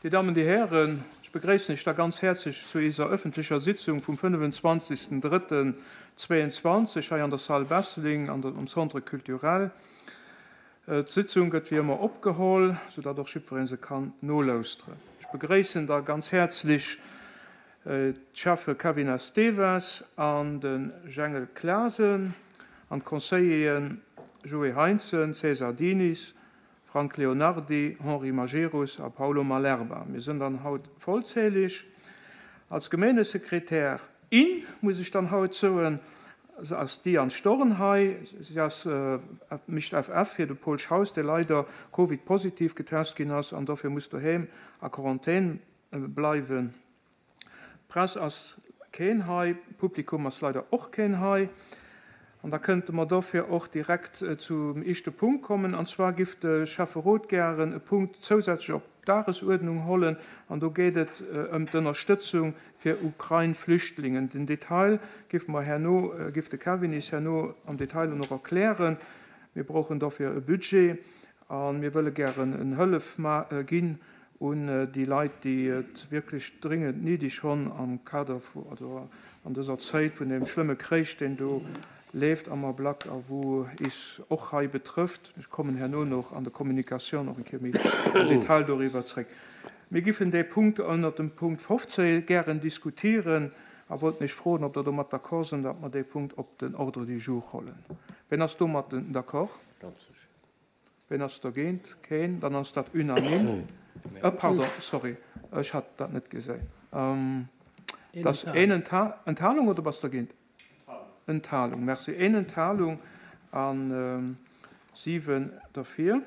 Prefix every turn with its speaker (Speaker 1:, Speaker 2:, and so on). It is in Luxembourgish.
Speaker 1: Dir Dammen, Dir Hären, ech begréissen Iech da ganz häerzlech zu iser öffentlecher Sitzung vum 25.03.22 hei an der Salle Besseling an am Centre culturel. D'Sitzung gëtt wéi ëmmer opgeholl, soudatt och jiddweree se kann nolauschteren. Ech begréissen da ganz häerzlech d'Schäffe Kevin Esteves an de Jengel Clasen an d'Conseilleren Joé Heintzen, César Diniz, Frank Leonardy, Henri Majerus a Paulo Malerba. Mir sënn dann haut vollzählig. Als Gemeengesekretär, in, muss ech dann haut soen, ass d'Diane Storn hei. Si ass, mécht FF fir de Paul Schaus, dee leider Covid-positiv getest ginn ass an dofir muss doheem a Quarantän bleiwen. Press ass keen hei, Publikum ass leider och keen hei. An da kënnte mer dofir och direkt zum éischte Punkt kommen, an zwar giff de Schäfferot gären e Punkt zousätzlech op d'Dagesuerdnung hollen, an do geet et ëm d'Ënnerstëtzung fir Ukrain-Flüchtlingen. Den Detail giff mer herno, giff de Kevin is herno am Detail och erklären. Mir brauchen dofir e Budget a mir wëlle gären en Hëllef ginn un déi Leit, déi et wierklech dringend néideg honn am Kader vu, also an dëser Zéit vun deem schlëmme Kréich, deen do leeft am Ablack a wou is och hei betrëfft. Ech kommen herno nach an der Communication och eng Kéier méi am Detail doriwwer zréck. Mir giffen dee Punkt ënnert dem Punkt 15 gären diskutieren a wollten Iech froen, ob Der domat d'accord sinn, datt mer dee Punkt op den Ordre du jour hollen. Wien ass domat d'accord? Ween ass dergéint? Keen. Dann ass dat unanime. Äh, pardon, sorry, ech hat dat net geséin. Et ass een Enthalung oder bass dergéint? Enthalung. Merci. Een Enthalung a 7 derfir.